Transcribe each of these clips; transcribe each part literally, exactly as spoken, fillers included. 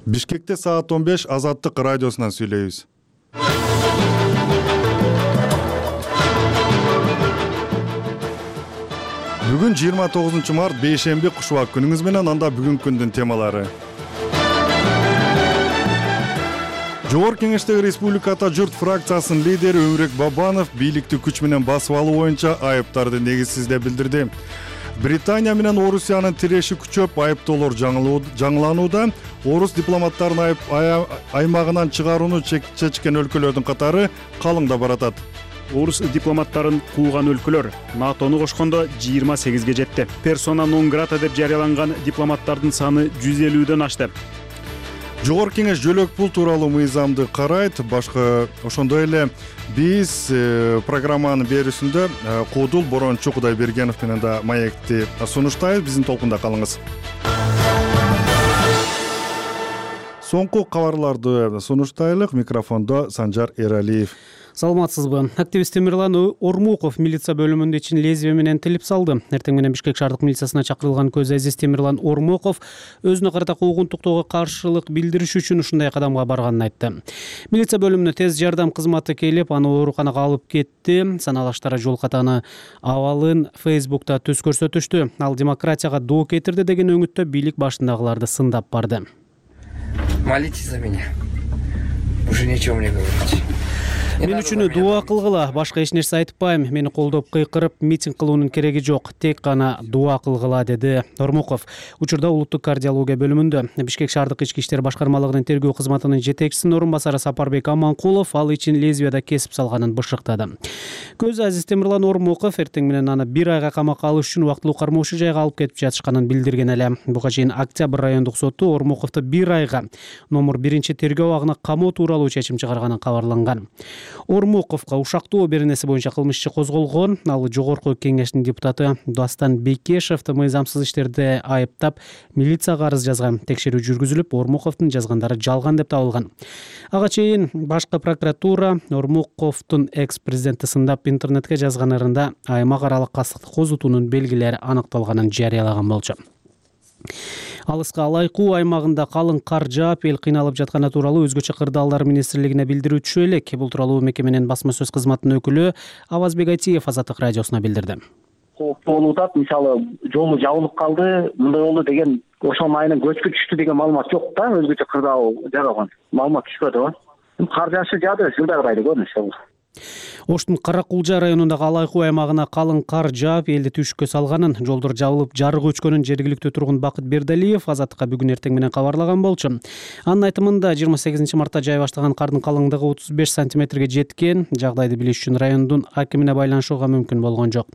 Бишкекте саат он беш Азаттык радиосунан сүйлөйбүз. Бүгүн жыйырма тогузунчу март бейшемби кушубак күнүңүз менен анда бүгүнкү күндүн темалары. Жогорку Кеңештеги Республика Ата Журт фракциясынын лидери Өмүрөк Бабанов бийликти күч менен басып алуу боюнча айыптарды негизсиз деп билдирди. Британия менен Орусиянын тиреши күчөп, айыптоолор жаңыланууда. Орус дипломаттарын аймагынан чыгарууну чечкен өлкөлөрдүн катары калыңдап баратат. Орус дипломаттарын кууган өлкөлөр НАТОну кошкондо жыйырма сегизге жетти. Персона нон грата деп жарыяланган дипломаттардын саны жүз элүүдөн ашты. Жогорку Кеңеш жөлөк пул тууралуу мыйзамды карайт. Башка ошондой эле биз программанын берүүсүндө Куудул Борончу Кудайбергенов менен да маекти сунуштайбыз. Биздин толкунда калыңыз. Соңку кабарларды сунуштайлык. Микрофондо Санжар Эралиев. Саламатсызбы? Активист Темирлан Ормуков милиция бөлүмүндө ичин лезвие менен тилип салды. Эртең менен Бишкек шаардык милициясына чакырылган көз азиз Темирлан Ормуков өзүнө карата куугунтуктоого каршылык билдириш үчүн ушундай кадамга барганын айтты. Милиция бөлүмүнө тез жардам кызматы келип, аны ооруканага алып кетти. Саналаштары жол катаны абалын Фейсбукта түз көрсөтүштү. Ал демократияга доо кетирди деген өңүттө бийлик башындагыларды сындап барды. Молитесь за меня. Уже нечего мне говорить. Мен үчүн дуа кылгыла, башка эч нерсе айтпайм. Мени колдоп кыйкырып, митинг кылуунун кереги жок. Тек гана дуа кылгыла, деди Ормуков. Учурда улуттук кардиология бөлүмүндө. Бишкек шаардык ички иштер башкармалыгынын тергөө кызматынын жетекчисинин орун басары Сапарбек Аманкулов ал ичин лезвияда кесип салганын бышыктады. Көз азиз Темирлан Ормуков эртең менен аны бир айга камакка алыш үчүн убактылуу кармоочу жайга алып кетип жатышканын билдирген эле. Буга чейин Октябрь райондук соту Ормуковду бир айга номер биринчи тергөө абагына камоо тууралуу чечим чыгарганын кабарланган. Ормуковго ушактоо беренеси боюнча кылмыш иши козголгон. Ал Жогорку Кеңештин депутаты Дастан Бекешевди мыйзамсыз иштерде айыптап, милицияга арыз жазган. Текшерүү жүргүзүлүп, Ормуковдун жазгандары жалган деп табылган. Ага чейин башкы прокуратура Ормуковдун экс-президентти сындап интернетке жазганырында аймак аралык кастыкты козутуунун белгилери аныкталганын жарыялаган болчу. Алыска Алайкуу аймагында калың кар жаап, эл кыйналып жатканы тууралуу Өзгөчө кырдаалдар министрлигине билдирүү түшө элек. Бул тууралуу мекеменин басма сөз кызматынын өкүлү Авазбек Айтиев Азаттык радиосуна билдирди. Кооптуу болуп атат, мисалы жолу жабылып калды, мындай болду деген ошол айынан көчкү түштү деген маалымат жок да, Өзгөчө кырдаал жаралган. Маалымат түшпөдү го. Кар жаашы жаады, жылдагыдай көрүнүштү. Оштун Каракулжа районундагы Алайкуу аймагына калың кар жаап, элди түшүккө салганын, жолдор жабылып, жарык өчкөнүн жергиликтүү тургун Бакыт Бердалиев Азаттыкка бүгүн эртең менен кабарлаган болчу. Анын айтымында жыйырма сегизинчи мартта жай баштаган кардын калыңдыгы отуз беш сантиметрге жеткен. Жагдайды билиш үчүн райондун акимине байланышууга мүмкүн болгон жок.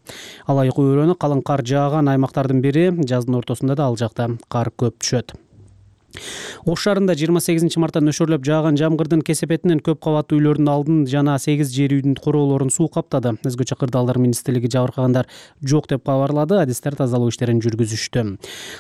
Алайкуу өрөөнү калың кар жааган аймактардын бири. Жаздын ортосунда да ал жакта кар көп түшөт. Ош шаарында жыйырма сегизинчи мартта нөшөрлөп жааган жамгырдын кесепетинен көп кабаттуу үйлөрдүн алдын жана сегиз жер үйдүн короолорун суу каптады. Өзгөчө кырдаалдар министрлиги жабыркагандар жок деп кабарлады. Адистер тазалоо иштерин жүргүзүштү.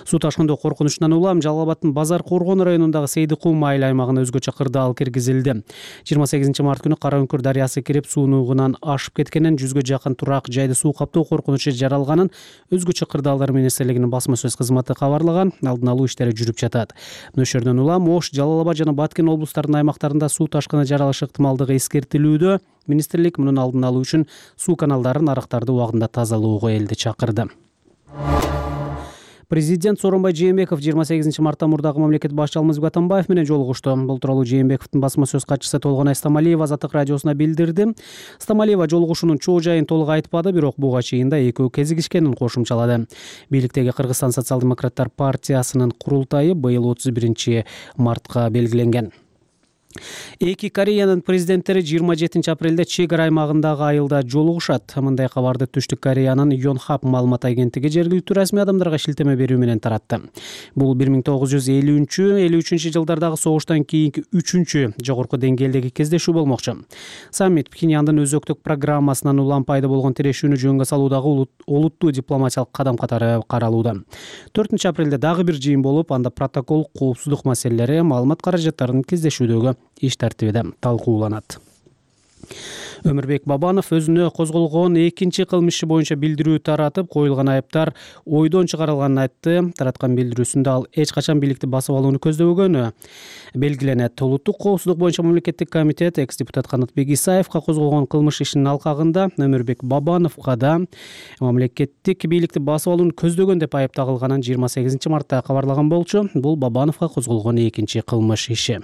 Суу ташкындоо коркунучунан улам Жалал Абадтын Базар Коргон районундагы Сейдикум айыл аймагына өзгөчө кырдаал киргизилди. жыйырма сегизинчи март күнү Кара Үңкүр дарыясы кирип, суунугунан ашып кеткенин, жүзгө жакын турак жайды суу каптоо коркунучу жаралганын Өзгөчө кырдаалдар министрлигинин басма сөз кызматы кабарлаган. Алдын алуу иштери жүрүп жатат. Нөшөрдөн улам Ош, Жалал Абад жана Баткен облустарынын аймактарында суу ташкыны жаралыш ыктымалдыгы эскертилүүдө. Министрлик мунун алдын алуу үчүн суу каналдарын, арыктарды убагында тазалоого элди чакырды. Президент Сооронбай Жээнбеков жыйырма сегизинчи мартта мурдагы мамлекет башчысы Алмазбек Атамбаев менен жолугушту. Бул тууралуу Жээнбековдун басма сөз катчысы Толгонай Стамалиева Азаттык радиосуна билдирди. Стамалиева жолугушуунун чоо жайын толук айтпады, бирок буга чейин да экөө кезигишкенин кошумчалады. Бийликтеги Кыргызстан социал-демократтар партиясынын курултайы быйыл отуз биринчи мартка белгиленген. Эки Кореянын президенттери жыйырма жетинчи апрелде чек ара аймагындагы айылда жолугушат. Мындай кабарды Түштүк Кореянын Yonhap маалымат агенттиги жергиликтүү расмий адамдарга шилтеме берүү менен таратты. Бул бир миң тогуз жүз элүүнчү элүү үчүнчү жылдардагы согуштан кийинки үчүнчү жогорку деңгээлдеги кездешүү болмокчу. Саммит Пхеньяндын өзөктүк программасынан улам пайда болгон тирешүүнү жөнгө салуудагы олуттуу дипломатиялык кадам катары каралууда. төртүнчү апрелде дагы бир жыйын болуп, анда протокол, коопсуздук маселелери, маалымат каражаттарынын кездешүүдөгү иш тартибиде талкууланат. Өмүрбек Бабанов өзүнө козголгон экинчи кылмыш иши боюнча билдирүү таратып, коюлган айыптар ойдон чыгарылганын айтты. Тараткан билдирүүсүндө ал эч качан бийликти басып алууну көздөбөгөнү белгиленет. Улуттук коопсуздук боюнча мамлекеттик комитет экс-депутат Канатбек Исаевка козголгон кылмыш ишинин алкагында Өмүрбек Бабановго да мамлекеттик бийликти басып алууну көздөгөн деп айып тагылганын жыйырма сегизинчи мартта кабарлаган болчу. Бул Бабановго козголгон экинчи кылмыш иши.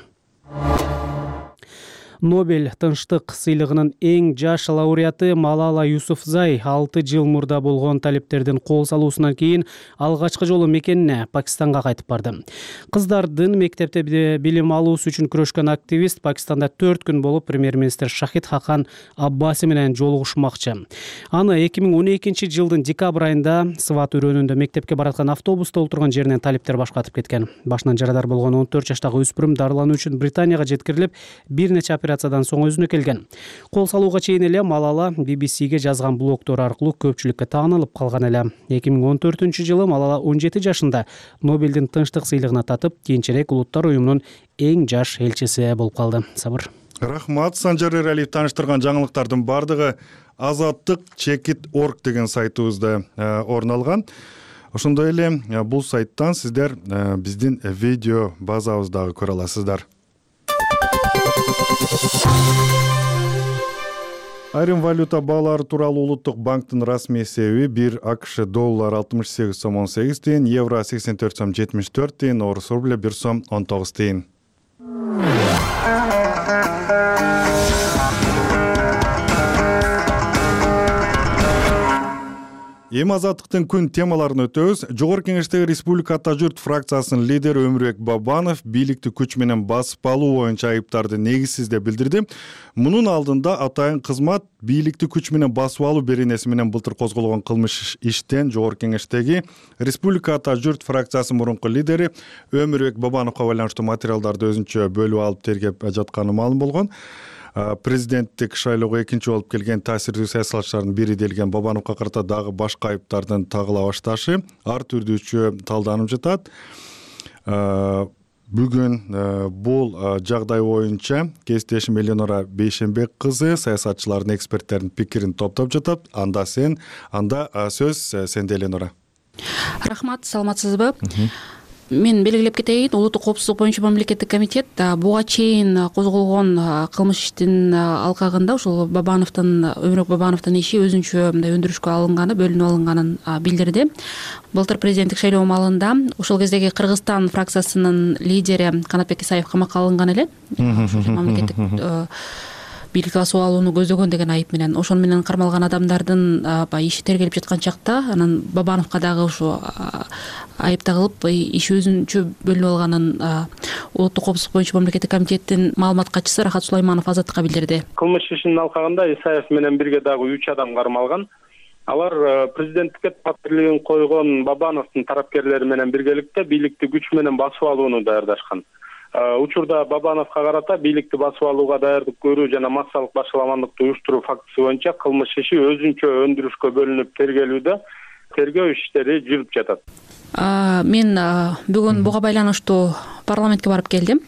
Нобель тынчтык сыйлыгынын эң жаш лауреаты Малала Юсуфзай алты жыл мурда болгон талептердин кол салуусунан кийин алгачкы жолу мекенине Пакистанга кайтып барды. Кыздардын мектепте билим алуусу үчүн күрөшкөн активист Пакистанда төрт күн болуп премьер-министр Шахид Хақан Аббаси менен жолугушмакчы. Аны эки миң он экинчи жылдын декабрь айында Сват өрөөнүндө мектепке бараткан автобуста отурган жеринен талептер башкатып кеткен. Башынан жарадар болгон он төрт жаштагы өспүрүм дарылануу үчүн Британияга жеткирилип, бир нече операциядан соң өзүнө келген. Кол салууга чейин эле Малала би би сиге жазган блогдор аркылуу көпчүлүккө таанылып калган эле. эки миң он төртүнчү жылы Малала он жети жашында Нобелдин тынчтык сыйлыгына татып, кийинчерээк Улуттар уюмунун эң жаш элчиси болуп калды. Сабыр. Рахмат. Санжар Эралиев тааныштырган жаңылыктардын бардыгы азаттык чекит точка орг деген сайтыбызда орун алган. Ошондой эле бул сайттан сиздер биздин видео базабыздагы көрө аласыздар. Айрым валюта баалары тууралуу Улуттук банктын расмий эсеби бир АКШ доллар алтымыш сегиз сом он сегиз тыйын, евро сексен төрт сом жетимиш төрт тыйын, орус рубля бир сом он тогуз тыйын. Эми азаттыктын күн темаларын өтөбүз. Жогорку Кеңештеги Республика Ата журт фракциясынын лидери Өмүрбек Бабанов бийликти күч менен басып алуу боюнча айыптарды негизсиз деп билдирди. Мунун алдында атайын кызмат бийликти күч менен басып алуу беренеси менен былтыр козголгон кылмыш иштен Жогорку Кеңештеги Республика Ата журт фракциясынын мурунку лидери Өмүрбек Бабановго байланыштуу материалдарды өзүнчө бөлүп алып тергеп жатканы маалым болгон. Президенттик шайлоого экинчи болуп келген таасирдүү саясатчылардын бири делген Бабановго карата дагы башка айыптардын тагыла башташы ар түрдүүчө талданып жатат. Бүгүн бул жагдай боюнча кесиптешим Эленора Бейшенбек кызы саясатчылардын, эксперттердин пикирин топтоп жатат. Анда сен, анда сөз сенде, Эленора. Рахмат, саламатсызбы? Мен белгилеп кетейин, Улуттук коопсуздук боюнча мамлекеттик комитет буга чейин козголгон кылмыш иштин алкагында ушул Бабановдун, Өмүрбек Бабановдун иши өзүнчө мындай өндүрүшкө алынганы, бөлүнүп алынганын билдирди. Былтыр президенттик шайлоо маалында ошол кездеги Кыргызстан фракциясынын лидери Канатбек Исаев камакка алынган эле. Мамлекеттик бийликти басып алууну көздөгөн деген айып менен, ошон менен кармалган адамдардын иши тергелип жаткан чакта анан Бабановго дагы ушу айып тагылып, иши өзүнчө бөлүнүп алганын Улуттук коопсуздук боюнча мамлекеттик комитеттин маалымат катчысы Рахат Сулайманов Азаттыкка билдирди. Кылмыш ишинин алкагында Исаев менен бирге дагы үч адам кармалган. Алар президенттикке талаптын койгон Бабановдун тарапкерлери менен биргеликте бийликти күч менен басып алууну даярдашкан. Учурда Бабановго карата бийликти басып алууга даярдык көрүү жана массалык башаламандыкты уюштуруу фактысы боюнча кылмыш иши өзүнчө өндүрүшкө бөлүнүп тергелүүдө, тергөө иштери жүрүп жатат. Мен бүгүн буга байланыштуу парламентке барып келдим.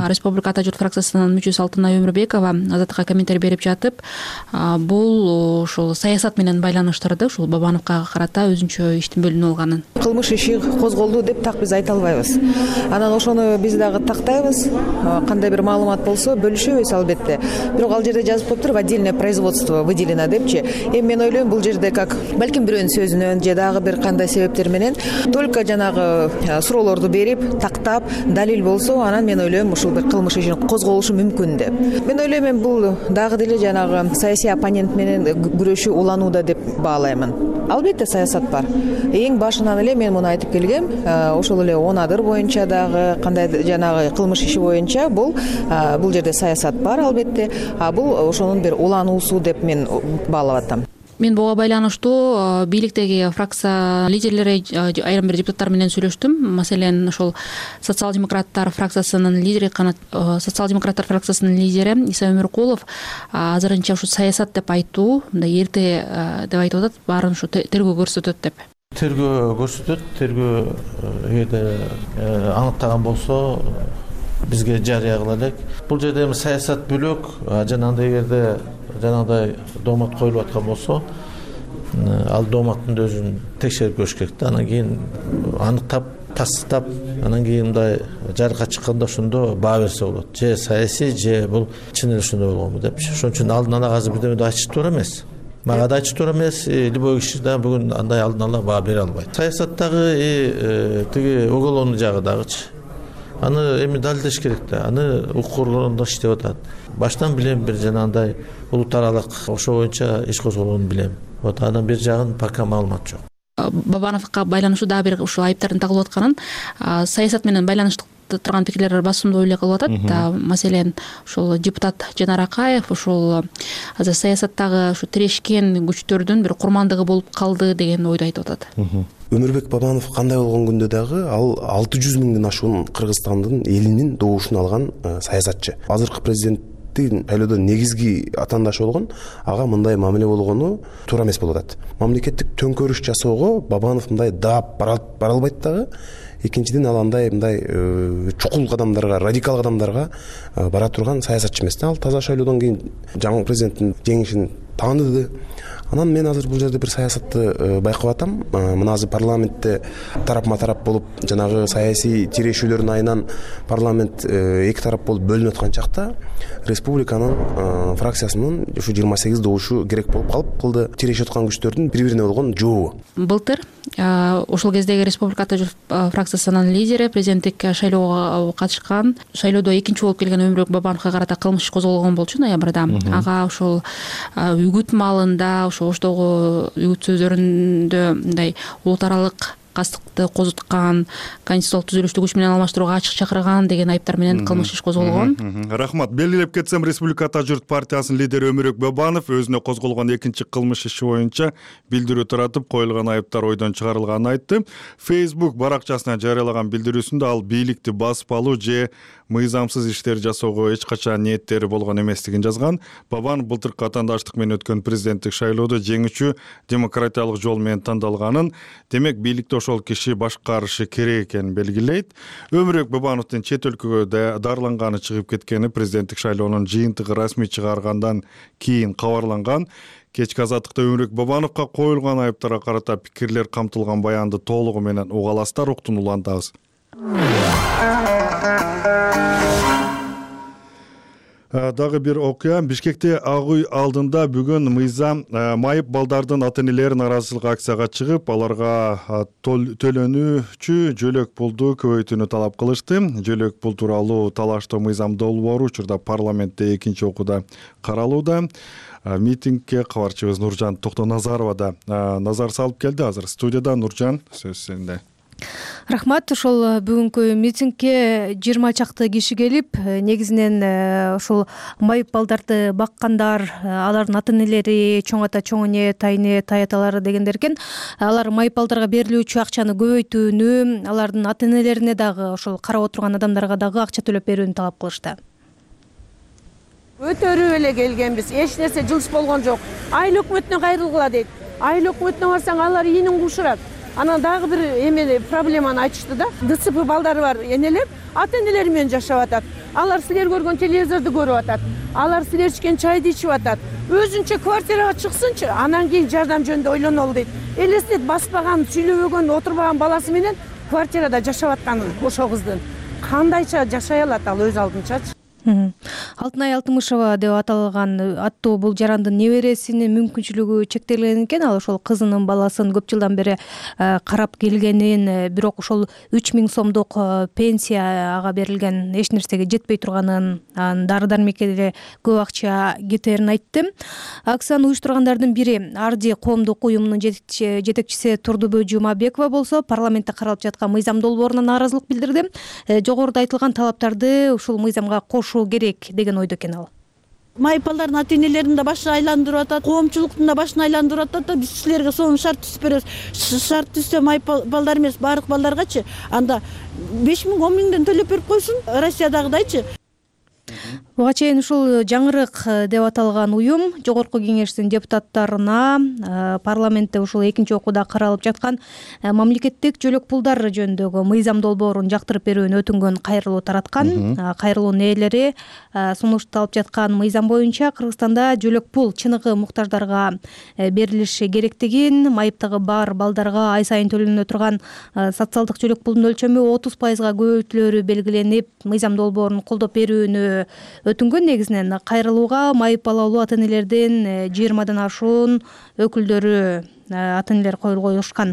Республика Ата журт фракциясынын мүчөсү Алтынай Өмүрбекова Азаттыкка комментарий берип жатып, бул ушул саясат менен байланыштырды, ушул Бабановго карата өзүнчө иштин бөлүнүп алганын. Кылмыш иши козголду деп так биз айта албайбыз. Анан ошону биз дагы тактайбыз. Кандай бир маалымат болсо бөлүшөбүз албетте. Бирок ал жерде жазып коюптур, отдельное производство выделено депчи. Эми мен ойлойм, бул жерде как балким бирөөнүн сөзүнөн же дагы бир кандай себептер менен только жанагы суроолорду берип, тактап, далил болсо, анан мен ойлойм ушул бир кылмыш ишин козголушу мүмкүн деп. Мен ойлойм, мен бул дагы деле жанагы саясий оппонент менен күрөшүү уланууда деп баалаймын. Албетте саясат бар. Эң башынан эле мен муну айтып келгем, ошол эле он адыр боюнча дагы кандай жанагы кылмыш иши боюнча бул бул жерде саясат бар албетте, а бул ошонун бир улануусу деп мен баалап атам. Мен буга байланыштуу бийликтеги фракция лидерлери, айрым бир депутаттар менен сүйлөштүм. Маселен, ошол социал-демократтар фракциясынын лидери, социал-демократтар фракциясынын лидери Иса Өмүркулов азырынча ушу саясат деп айтуу, мындай эрте деп айтып атат, баарын ушу тергөө көрсөтөт деп. Тергөө көрсөтөт, тергөө эгерде аныктаган болсо бизге жарыя кыла элек. Бул жерде эми саясат бөлөк, жанагындай эгерде жанагыдай доомат коюлуп аткан болсо, ал дооматтын өзүн текшерип көрүш керек да. Анан кийин аныктап, тастыктап, анан кийин мындай жарыкка чыкканда ошондо баа берсе болот. Же саясий, же бул чын эле ошондой болгонбу депчи. Ошон үчүн алдын ала азыр бирдеме айтыш туура эмес. Мага да айтыш туура эмес. Любой киши да бүгүн андай алдын ала баа бере албайт. Саясаттагы тиги уголовный жагы дагычы. Аны эми далилдеш керек да. Аны укук органдар иштеп атат. Баштан билем бир жанагындай улут аралык ошо боюнча иш козголгонун билем. Вот анан бир жагын пока маалымат жок. Бабановго байланыштуу дагы бир ушул айыптардын тагылып атканын саясат менен байланыштуу турган пикирлер басымдуу эле кылып атат. Маселен, ушул депутат Жанар Акаев ушул азыр саясаттагы ушу тирешкен күчтөрдүн бир курмандыгы болуп калды деген ойду айтып атат. Өмүрбек Бабанов кандай болгон күндө дагы ал алты жүз миңден ашуун Кыргызстандын элинин добушун алган саясатчы. Азыркы президенттин шайлоодо негизги атаандашы болгон ага мындай мамиле болгону туура эмес болуп атат. Мамлекеттик төңкөрүш жасоого Бабанов мындай даап бара албайт дагы. Экинчиден ал андай мындай чукул кадамдарга, радикал кадамдарга бара турган саясатчы эмес. Ал таза шайлоодон кийин жаңы президенттин жеңишин тааныды. Анан мен азыр бул жерде бир саясатты байкап атам. Мына азыр парламентте тарапма тарап болуп, жанагы саясий тирешүүлөрдүн айынан парламент эки тарап болуп бөлүнүп аткан чакта республиканын фракциясынын ушу жыйырма сегиз добушу керек болуп калып кылды. Тирешип аткан күчтөрдүн бири-бирине болгон жообу. Былтыр ошол кездеги республика ата журт фракциясынын лидери президенттик шайлоого катышкан, шайлоодо экинчи болуп келген Өмүрбек Бабановго карата кылмыш иш козголгон болчу ноябрда. Ага ошол үгүт маалында оштогу үгүт сөздөрүндө мындай улут аралык кастыкты козуткан, конституциялык түзүлүштү күч менен алмаштырууга ачык чакырган деген айыптар менен кылмыш иш козголгон. Рахмат. Белгилеп кетсем, Республика Ата журт партиясынын лидери Өмүрбек Бабанов өзүнө козголгон экинчи кылмыш иши боюнча билдирүү таратып, коюлган айыптар ойдон чыгарылганын айтты. Facebook баракчасына жарыялаган билдирүүсүндө ал бийликти басып алуу же мыйзамсыз иштер жасоого эч качан ниеттери болгон эместигин жазган. Бабанов былтыркы атаандаштык менен өткөн президенттик шайлоодо жеңүүчү демократиялык жол менен тандалганын, демек бийликти ошол киши башкарышы керек экенин белгилейт. Өмүрбек Бабановдун чет өлкөгө дарыланганы чыгып кеткени президенттик шайлоонун жыйынтыгы расмий чыгаргандан кийин кабарланган. Кечки азаттыкта Өмүрбек Бабановго коюлган айыптарга карата пикирлер камтылган баянды толугу менен угаластар уктун улантабыз. Дагы бир окуя. Бишкекте Ак үй алдында бүгүн мыйзам майып балдардын ата-энелери нааразычылык акцияга чыгып, аларга төлөнүүчү жөлөк пулду көбөйтүүнү талап кылышты. Жөлөк пул тууралуу талаштуу мыйзам долбоору учурда парламентте экинчи окууда каралууда. Митингге кабарчыбыз Нуржан Токтоназарова да назар салып келди. Азыр студияда. Нуржан, сөз сенде. Рахмат. Ошол бүгүнкү митингге жыйырма чакты киши келип, негизинен ошол майып балдарды баккандар, алардын ата-энелери, чоң ата, чоң эне, тайне, таяталары дегендер экен. Алар майып балдарга берилүүчү акчаны көбөйтүүнү, алардын ата-энелерине дагы, ошол карап отурган адамдарга дагы акча төлөп берүүнү талап кылышты. Өтөрүп эле келгенбиз. Эч нерсе жылыш болгон жок. Айыл өкмөтүнө кайрылгыла дейт. Айыл өкмөтүнө барсаң, алар ийинин кушурат. Анан дагы бир эме проблеманы айтышты да. ДЦП балдары бар энелер ата-энелери менен жашап атат. Алар силер көргөн телевизорду көрүп атат. Алар силер ичкен чайды ичип атат. Өзүнчө квартирага чыксынчы, анан кийин жардам жөнүндө ойлонолу дейт. Элестет, баспаган, сүйлөбөгөн, отурбаган баласы менен квартирада жашап атканын ошол кыздын. Кандайча жашай алат ал өз алдынчачы? Алтынай Алтымышева деп аталган аттуу бул жарандын небересинин мүмкүнчүлүгү чектелген экен. Ал ошол кызынын баласын көп жылдан бери карап келгенин, бирок ошол үч миң сомдук пенсия ага берилген эч нерсеге жетпей турганын, дары-дармекке көп акча кетерин айтты. Акцияны уюштургандардын бири Арди коомдук уюмунун жетекчиси Турдубү Жумабекова болсо, парламентте каралып жаткан мыйзам долбооруна нааразылык билдирди. Жогоруда айтылган талаптарды ушул мыйзамга кошуу керек деген ойдо экен ал. Майып балдардын ата-энелерин да башын айландырып атат, коомчулуктун да башын айландырып атат да, биз силерге сонун шарт түзүп беребиз. Шарт түзсө майып балдар эмес, баардык балдаргачы анда беш миң он миңден төлөп берип койсун, Россиядагыдайчы. Буга чейин ушул жаңырык деп аталган уюм Жогорку Кеңештин депутаттарына парламентте ушул экинчи окууда каралып жаткан мамлекеттик жөлөк пулдар жөнүндөгү мыйзам долбоорун жактырып берүүнү өтүнгөн кайрылуу тараткан. Кайрылуунун ээлери сунушталып жаткан мыйзам боюнча Кыргызстанда жөлөк пул чыныгы муктаждарга берилиши керектигин, майыптыгы бар балдарга ай сайын төлөнө турган социалдык жөлөк пулдун өлчөмү отуз пайызга көбөйтүлөрү белгиленип, мыйзам долбоорун колдоп берүүнү өтүнгөн. Негизинен кайрылууга майып балалуу ата энелердин жыйырмадан ашуун өкүлдөрү ата энелер коюлушкан.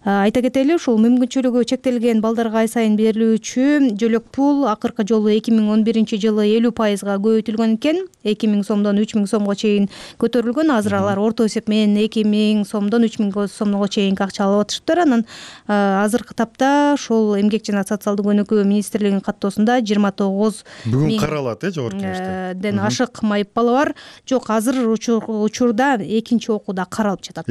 Айта кетели, ушул мүмкүнчүлүгү чектелген балдарга ай сайын берилүүчү жөлөк пул акыркы жолу эки миң он биринчи жылы элүү пайызга көбөйтүлгөн экен. эки миң сомдон үч миң сомго чейин көтөрүлгөн. Азыр алар орто эсеп менен эки миң сомдон үч миң сомго чейин акча алып атышыптыр. Анан азыркы тапта ушул Эмгек жана социалдык өнүгүү министрлигинин каттоосунда жыйырма тогуз бүгүн каралат э Жогорку Кеңеште ден ашык майып бала бар. Жок, азыр учурда экинчи окууда каралып жатат.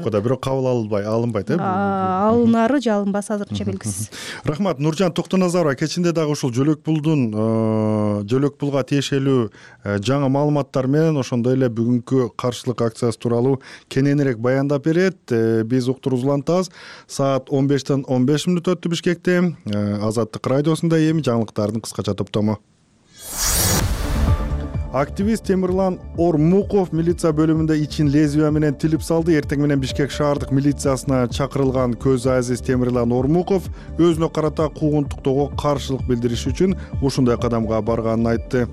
Да, бирок кабыл алынбай алынбайт э алынары же алынбасы азырынча белгисиз. Рахмат. Нуржан Токтоназарова кечинде дагы ушул жөлөк пулдун жөлөк пулга тиешелүү жаңы маалыматтар менен ошондой эле бүгүнкү каршылык акциясы тууралуу кененирээк баяндап берет. Биз уктуруубузду улантабыз. Саат он бештен он беш мүнөт өттү Бишкекте. Азаттык радиосунда эми жаңылыктардын кыскача топтому. Активист Темирлан Ормуков милиция бөлүмүндө ичин лезвия менен тилип салды. Эртең менен Бишкек шаардык милициясына чакырылган көз азиз Темирлан Ормуков өзүнө карата куугунтуктоого каршылык билдириш үчүн ушундай кадамга барганын айтты.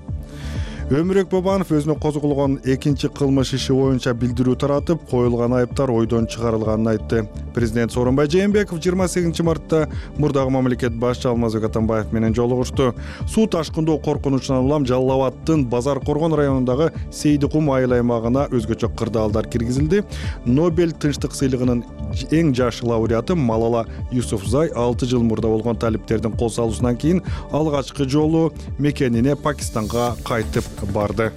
Өмүрөк Бабанов өзүнө козголгон экинчи кылмыш иши боюнча билдирүү таратып, коюлган айыптар ойдон чыгарылганын айтты. Президент Сооронбай Жээнбеков жыйырма сегизинчи мартта мурдагы мамлекет башчы Алмазбек Атамбаев менен жолугушту. Суу ташкындоо коркунучунан улам Жалал Абадтын Базар Коргон районундагы Сейдикум айыл аймагына өзгөчө кырдаалдар киргизилди. Нобель тынчтык сыйлыгынын эң жаш лауреаты Малала Юсуфзай алты жыл мурда болгон талиптердин кол салуусунан кийин алгачкы жолу мекенине Пакистанга кайтып барды.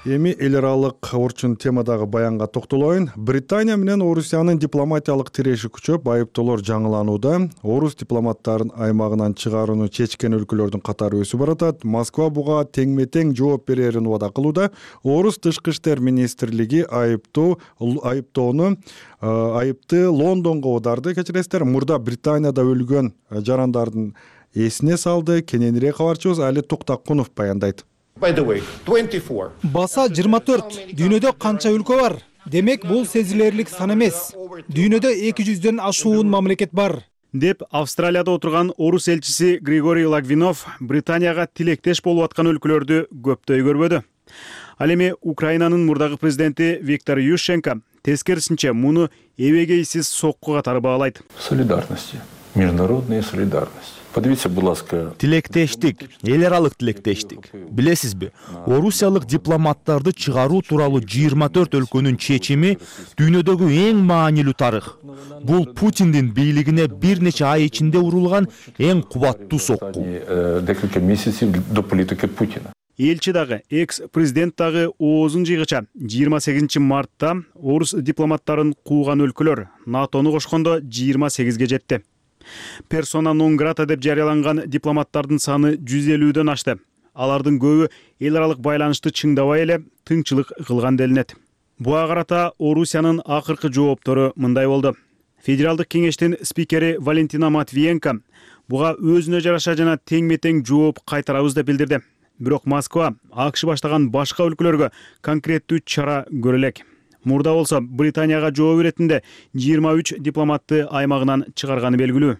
Эми эл аралык орчун темадагы баянга токтолоюн. Британия менен Орусиянын дипломатиялык тиреши күчөп, айыптоолор жаңыланууда. Орус дипломаттарын аймагынан чыгарууну чечкен өлкөлөрдүн катары өсүп баратат. Москва буга теңме-тең жооп берерин убада кылууда. Орус тышкы иштер министрлиги айыптоо айыптоону айыпты Лондонго оодарды. Кечиресиздер, мурда Британияда өлгөн жарандардын эсине салды. Кененирээк кабарчыбыз Али Токтакунов баяндайт. Баса жыйырма төрт. Дүйнөдө канча өлкө бар? Демек, бул сезилерлик сан эмес. Дүйнөдө эки жүздөн ашуун мамлекет бар, деп Австралияда отурган орус элчиси Григорий Лагвинов Британияга тилектеш болуп аткан өлкөлөрдү көптөй көрбөдү. Ал эми Украинанын мурдагы президенти Виктор Ющенко тескерисинче муну эбегейсиз сокку катары баалайт. Солидарности, международная солидарность. Подивитесь, будь ласка. Тилектештик, эл аралык тилектештик. Билесизби, орусиялык дипломаттарды чыгаруу тууралуу жыйырма төрт өлкөнүн чечими дүйнөдөгү эң маанилүү тарых. Бул Путиндин бийлигине бир нече ай ичинде урулган эң кубаттуу сокку. Несколько месяцев до политики Путина. Элчи дагы, экс-президент дагы оозун жыйгыча жыйырма сегизинчи мартта орус дипломаттарын кууган өлкөлөр НАТОну кошкондо жыйырма сегизге жетти. Персона нон грата деп жарыяланган дипломаттардын саны жүз элүүдөн ашты. Алардын көбү эл аралык байланышты чыңдабай эле тыңчылык кылган делинет. Буга карата Орусиянын акыркы жооптору мындай болду. Федералдык кеңештин спикери Валентина Матвиенко буга өзүнө жараша жана теңме-тең жооп кайтарабыз деп билдирди. Бирок Москва АКШ баштаган башка өлкөлөргө конкреттүү чара көрө элек. Мурда болсо Британияга жооп иретинде жыйырма үч дипломатты аймагынан чыгарганы белгилүү.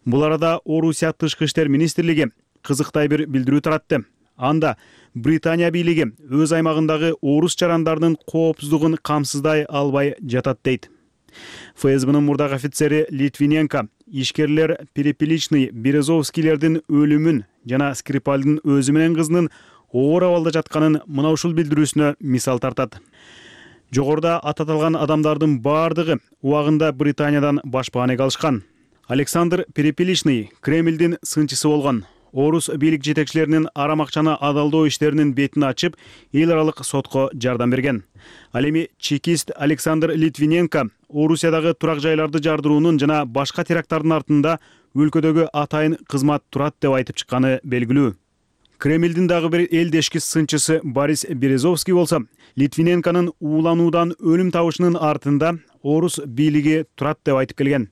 Бул арада Орусия тышкы иштер министрлиги кызыктай бир билдирүү таратты. Анда Британия бийлиги өз аймагындагы орус жарандарынын коопсуздугун камсыздай албай жатат дейт. ФСБнын мурдагы офицери Литвиненко ишкерлер Перепеличный Березовскийлердин өлүмүн жана Скрипальдын өзү менен кызынын оор абалда жатканын мына ушул билдирүүсүнө мисал тартат. Жогоруда ататалган адамдардын бардыгы убагында Британиядан башпаанек алышкан. Александр Перепеличный Кремлдин сынчысы болгон. орус бийлик жетекчилеринин арам акчаны адалдоо иштеринин бетин ачып, эл аралык сотко жардам берген. Ал эми чекист Александр Литвиненко Орусиядагы турак жайларды жардыруунун жана башка теракттардын артында өлкөдөгү атайын кызмат турат деп айтып чыкканы белгилүү. Кремлдин дагы бир элдешки сынчысы Борис Березовский болсо, Литвиненконун уулануудан өлүм табышынын артында орус бийлиги турат деп айтып келген.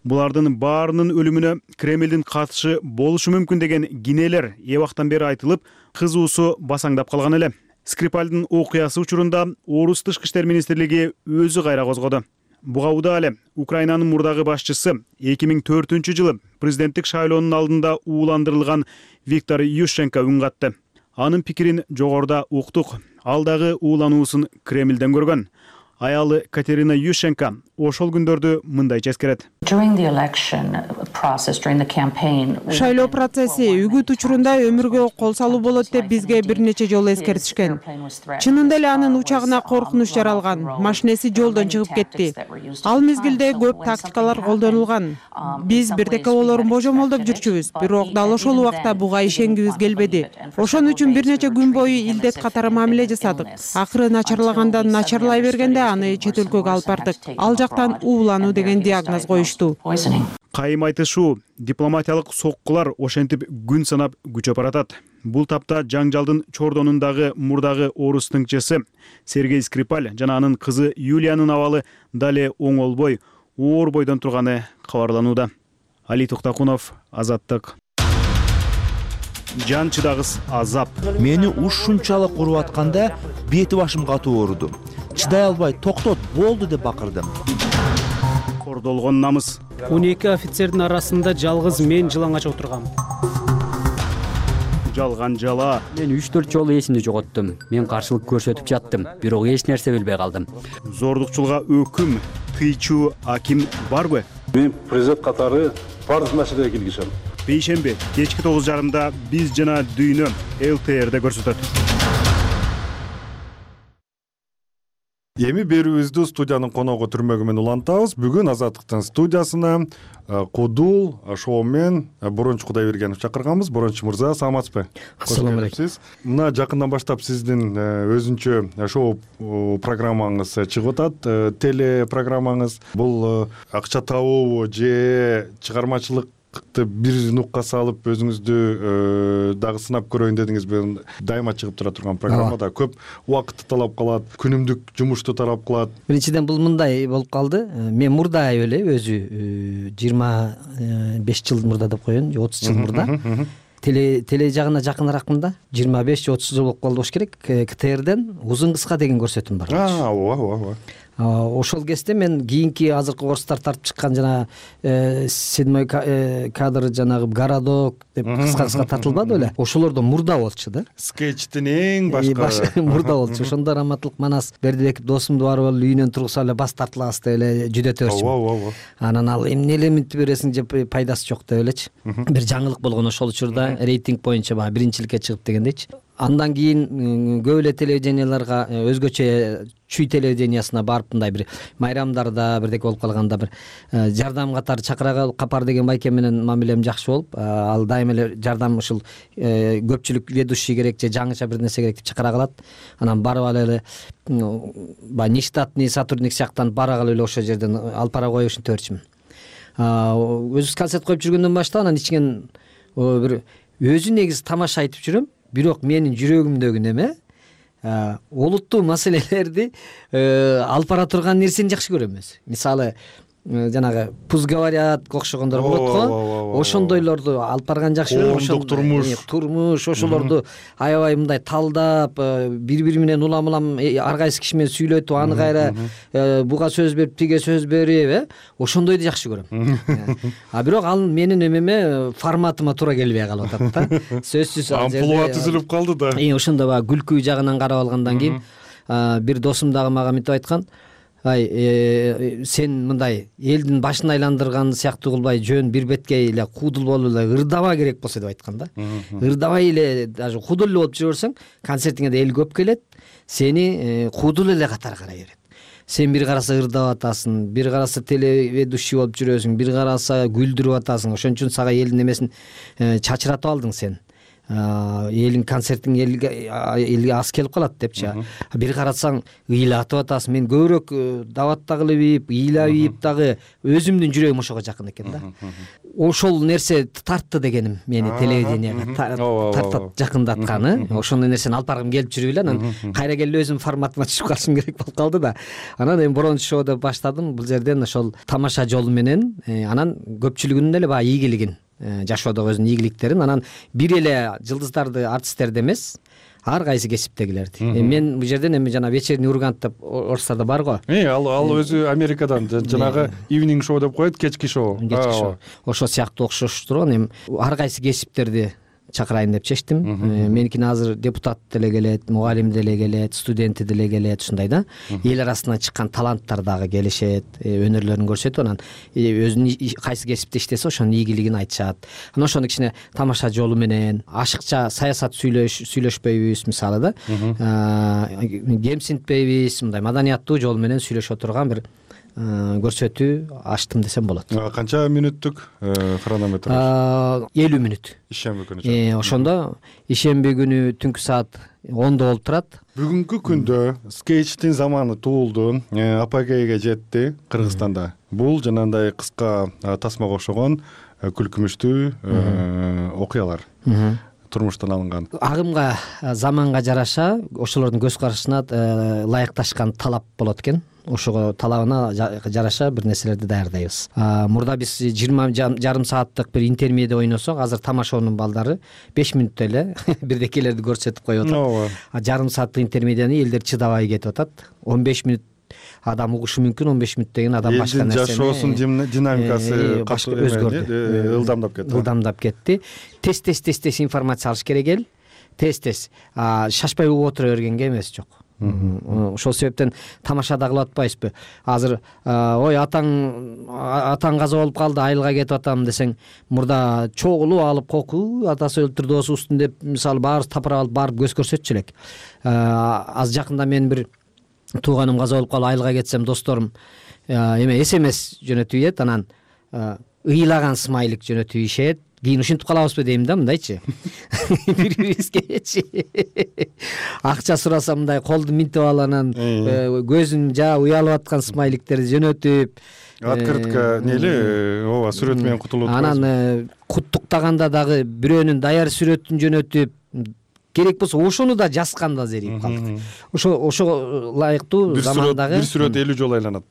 Булардын баарынын өлүмүнө Кремлдин катышы болушу мүмкүн деген кинелер эбактан бери айтылып, кызуусу басаңдап калган эле. Скрипальдын окуясы учурунда орус тышкы иштер министрлиги өзү кайра козгоду. Буга удаа эле Украинанын мурдагы башчысы эки миң төртүнчү жылы президенттик шайлоонун алдында ууландырылган Виктор Ющенко үн катты. Анын пикирин жогоруда уктук. Ал дагы уулануусун Кремлден көргөн. Аялы Катерина Ющенко ошол күндөрдү мындайча эскерет. Шайлоо процесси үгүт учурунда өмүргө кол салуу болот деп бизге бир нече жолу эскертишкен. Чынында эле анын учагына коркунуч жаралган, машинеси жолдон чыгып кетти. Ал мезгилде көп тактикалар колдонулган. Биз бирдеке болорун божомолдоп жүрчүбүз, бирок дал ошол убакта буга ишенгибиз келбеди. Ошон үчүн бир нече күн бою илдет катары мамиле жасадык. Акыры начарлагандан начарлай бергенде аны чет өлкөгө алып бардык. Ал жактан уулануу деген диагноз коюшту. Кайым айтышуу, дипломатиялык соккулар ошентип күн санап күчөп баратат. Бул тапта жаңжалдын чордонундагы мурдагы орус тыңчысы Сергей Скрипаль жана анын кызы Юлиянын абалы дале оңолбой, оор бойдон турганы кабарланууда. Али Туктакунов, Азаттык. Жан чыдагыс азап. Мени ушунчалык уруп атканда бети башым катуу ооруду. Чыдай албай токтот, болду деп бакырдым. Кордолгон намыс. он эки офицердин арасында жалгыз мен жылаңач отургам. Жалган жала. Мен үч төрт жолу эсимди жоготтум. Мен каршылык көрсөтүп жаттым, бирок эч нерсе билбей калдым. Зордукчулга өкүм, тыйчуу аким барбы? Мен президент катары бардык маселеге киргизем. Бейшемби кечки тогуз жарымда биз жана дүйнө эл тэ эрде көрсөтөт. Эми берүүбүздү студиянын коногу түрмөгү менен улантабыз. Бүгүн Азаттыктын студиясына Кудул шоумен Борончу Кудайбергенов чакырганбыз. Борончу мырза, саламатсызбы? Ассаламу алейкум. Мына жакындан баштап сиздин өзүнчө шоу программаңыз чыгып атат, теле программаңыз. Бул акча табуу же чыгармачылык бир нукка салып өзүңүздү дагы сынап көрөйүн дедиңизби? Дайыма чыгып тура турган программада көп убакытты талап кылат, күнүмдүк жумушту талап кылат. Биринчиден бул мындай болуп калды. Мен мурда эле өзү жыйырма беш жыл мурда деп коеюн, же отуз жыл мурда теле теле жагына жакыныраакмын да. жыйырма беш же отуз жыл болуп калды болуш керек. ка тэ эрден узун кыска деген көрсөтүүм бар. А, ооба, ооба. Ошол кезде мен кийинки азыркы орустар тартып чыккан жана седьмой кадр жанагы городок деп кыска кыска тартылбады беле? Ошолордо мурда болчу да. Скетчтин эң башка мурда болчу. Ошондо Раматылык Манас Бердибеков досумду барып эле үйүнөн тургузуп эле бас тартылабыз деп эле жүдөтөбүз. Ооба, ооба. Анан ал эмне эле минт бересиң же пайдасы жок деп элечи. Бир жаңылык болгон ошол учурда рейтинг боюнча баягы биринчиликке чыгып дегендейчи. Андан кийин көп эле телевиденияларга өзгөчө Чүй телевидениясына барып мындай бир майрамдарда бирдеке болуп калганда бир жардам катары чакыра Капар деген байке менен мамилем жакшы болуп, ал дайым эле жардам ушул көпчүлүк ведущий керек же жаңыча бир нерсе керек деп чакыра калат. Анан барып ал эле баягы нештатный сотрудник сыяктан бара калып эле ошол жерден алып бара коюп ушинтип берчүмүн. Өзүбүз концерт коюп жүргөндөн баштап анан ичкен бир өзү негизи тамаша айтып жүрөм, бирок менин жүрөгүмдөгү неме олуттуу маселелерди алып бара турган нерсени жакшы көрөм өзү. Мисалы жанагы пусть говорят окшогондор болот го, ошондойлорду алып барган жакшы көрөм. Коомдук турмуш турмуш ошолорду аябай мындай талдап, бири-бири менен улам улам ар кайсы киши менен сүйлөтүп, аны кайра буга сөз берип, тиге сөз берип, э ошондойду жакшы көрөм. А бирок ал менин эмеме форматыма туура келбей калып атат да. Сөзсүз амплуа түзүлүп калды да. И ошондо баягы күлкү жагынан карап алгандан кийин бир досум дагы мага мынтип айткан: ай сен мындай элдин башын айландырган сыяктуу кылбай жөн бир беткей эле куудул болуп эле ырдабаа керек болсо деп айткан да. Ырдабай эле даже куудул эле болуп жүрө берсең концертиңе да эл көп келет, сени куудул эле катары карай берет. сен бир караса ырдап атасың, бир караса телеведущий болуп жүрөсүң, бир караса күлдүрүп атасың. Ошон үчүн сага элдин эмесин чачыратып алдың сен. Элин концертиң элге элге аз келип калат депчи. Бир карасаң ыйлатып атасың. Мен көбүрөөк дабатта кылып ийип, ыйлап ийип дагы өзүмдүн жүрөгүм ошого жакын экен да. Ошол нерсе тартты дегеним мени телевиденияга тартат жакындатканы. Ошондой нерсени алып баргым келип жүрүп эле, анан кайра келип өзүм форматыма түшүп калышым керек болуп калды да. Анан эми Бронз шоу деп баштадым. Бул жерден ошол тамаша жол менен анан көпчүлүгүнүн эле баягы ийгилигин, жашоодогу өзүнүн ийгиликтерин, анан бир эле жылдыздарды, артисттерди эмес, ар кайсы кесиптегилерди. Мен бул жерден эми жана вечерний Ургант деп орустарда бар го. Э, ал ал өзү Америкадан жанагы evening show деп коет, кечки шоу. Кечки шоу. Ошо сыяктуу окшоштур. Эми ар кайсы кесиптерди чакырайын деп чечтим. Меникине азыр депутат деле келет, мугалим деле келет, студенти деле келет, ушундай да. Эл арасынан чыккан таланттар дагы келишет, өнөрлөрүн көрсөтүп, анан өзүнүн кайсы кесипте иштесе ошонун ийгилигин айтышат. Анан ошону кичине тамаша жолу менен, ашыкча саясат сүйлөш сүйлөшпөйбүз мисалы да. Кемсинтпейбиз, мындай маданияттуу жол менен сүйлөшө турган бир көрсөтүү ачтым десем болот. Канча мүнөттүк хронометр? элүү мүнөт. Ишемби күнү. Э, ошондо ишемби күнү түнкү саат ондо болуп турат. Бүгүнкү күндө скетчтин заманы туулду, апогейге жетти Кыргызстанда. Бул жанагындай кыска тасмага окшогон күлкүмүштүү окуялар. Турмуштан алынган. Агымга, заманга жараша ошолордун көз карашына ылайыкташкан талап болот экен. Ошого талабына жараша бир нерселерди даярдайбыз. Мурда биз жыйырма жарым сааттык бир интермедиа ойносок, азыр тамашоонун балдары беш мүнөттө эле бирдекелерди көрсөтүп коюп атат. Жарым сааттык интермедианы элдер чыдабай кетип атат. он беш мүнөт адам угушу мүмкүн, он беш мүнөттөн кийин адам башка нерсени. Жашоосунун динамикасы өзгөрдү, ылдамдап кетти. Ылдамдап кетти. Тез-тез тез-тез информация алыш керек эл. Тез-тез. Шашпай угуп отура бергенге эмес жок. Ошол себептен тамашада кылып атпайбызбы? Азыр ой атаң атаң каза болуп калды, айылга кетип атам десең, мурда чогулуп алып коку, атасы өлтүрдү, досубуздун деп мисалы баарыбыз тапырап алып барып көз көрсөтчү элек. Аз жакында мен бир тууганым каза болуп калып айылга кетсем, досторум эме смс жөнөтүп ийет, анан ыйлаган смайлик жөнөтүп ийишет. Кийин ушинтип калабызбы дейм да, мындайчы. Бири-бирибизгечи. Акча сураса мындай колду минтип алып, анан көзүн жаа уялып аткан смайликтерди жөнөтүп, открытка нели, ооба, сүрөт менен кутулуп турат. Анан куттуктаганда дагы бирөөнүн даяр сүрөтүн жөнөтүп, керек болсо ошону да жазганда зерип калдык. Ошо ошо ылайыктуу замандагы бир сүрөт элүү жолу айланат.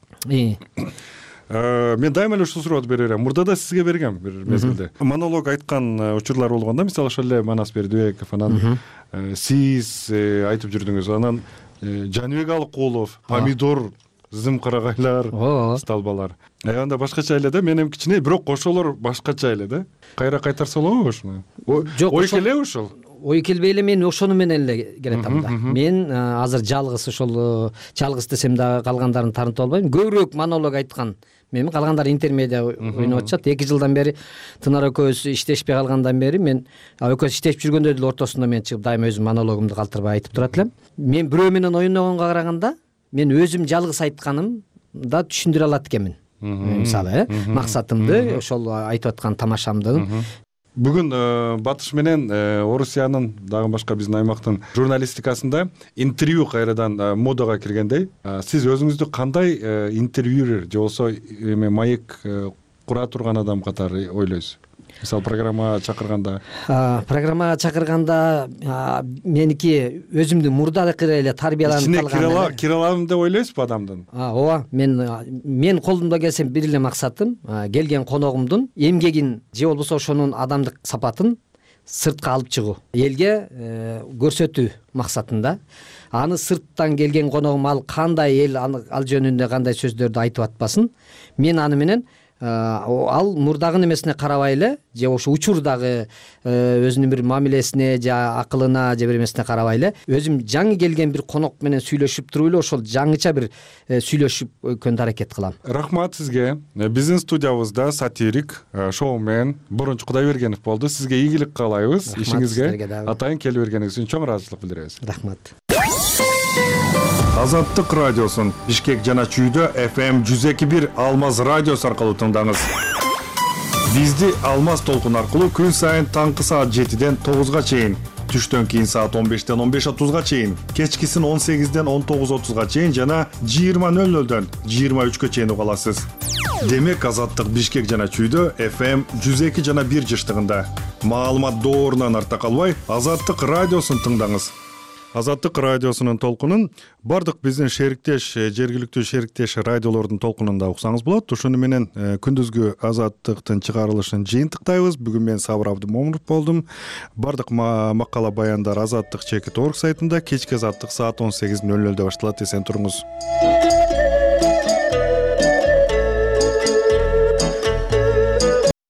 Мен дайыма эле ушул суроону берем. Мурда да сизге бергем бир мезгилде. Монолог айткан учурлар болгон да, мисалы ошол эле Манас Бердибеков, анан сиз айтып жүрдүңүз, анан Жаныбек Алыкулов, помидор, зымкарагайлар, сталбалар. Анда башкача эле да, менин кичине, бирок ошолор башкача эле да. Кайра кайтарса болобу ушуну? Ой келеби ушул? Ой келбей эле мен ошону менен эле келатам да. Мен азыр жалгыз ошол жалгыз десем дагы калгандарын таанытып албайм. Көбүрөөк монолог айткан мен, калгандары интермедиа ойноп атышат. эки жылдан бери Тынар экөөбүз иштешпей калгандан бери мен экөөбүз иштешип жүргөндө деле ортосунда мен чыгып дайыма өзүм монологумду калтырбай айтып турат элем. Мен бирөө менен ойногонго караганда мен өзүм жалгыз айтканым да түшүндүрө алат экенмин. Мисалы, максатымды, ошол айтып аткан тамашамды. Бүгүн Батыш менен Орусиянын, дагы башка биздин аймактын журналистикасында интервью кайрадан модага киргендей. Сиз өзүңүздү кандай интервьюер же болбосо эме маек кура турган адам катары ойлойсуз? Мисалы, программа чакырганда? Программага чакырганда меники өзүмдү мурдакы эле тарбияланып калган. Кире алам деп ойлойсузбу адамдын? Ооба, мен мен колумда келсем бир эле максатым келген коногумдун эмгегин же болбосо ошонун адамдык сапатын сыртка алып чыгуу, элге көрсөтүү максатында. Аны сырттан келген коногум ал кандай эл ал жөнүндө кандай сөздөрдү айтып атпасын, мен аны менен ал мурдагы немесине карабай эле, же ошо учурдагы өзүнүн бир мамилесине же акылына же бир эмесине карабай эле, өзүм жаңы келген бир конок менен сүйлөшүп туруп эле ошол жаңыча бир сүйлөшүп өткөнгө аракет кылам. Рахмат сизге. Биздин студиябызда сатирик, шоумен Борунч Кудайбергенов болду. Сизге ийгилик каалайбыз ишиңизге. Атайын келип бергениңиз үчүн чоң ыраазычылык билдиребиз. Рахмат. Азаттык радиосун Бишкек жана Чүйдө эф эм жүз эки бир Алмаз радиосу аркылуу тыңдаңыз. Бизди Алмаз толкун аркылуу күн сайын таңкы саат жетиден тогузга чейин, түштөн кийин саат он бештен он беш отузга чейин, кечкисин он сегизден он тогуз отузга чейин жана жыйырма нөл нөлдөн жыйырма үчкө чейин уга аласыз. Демек Азаттык Бишкек жана Чүйдө эф эм жүз эки жана бир жыштыгында. Маалымат доорунан арта калбай, Азаттык радиосун тыңдаңыз. Азаттык радиосунун толкунун бардык биздин шериктеш, жергиликтүү шериктеш радиолордун толкунунда уксаңыз болот. Ошону менен күндүзгү Азаттыктын чыгарылышын жыйынтыктайбыз. Бүгүн мен Сабыр Абдымомунов болдум. Бардык макала баяндар азаттык чекит орг сайтында, кечки Азаттык саат он сегиз нөл нөлдө башталат. Эсен туруңуз.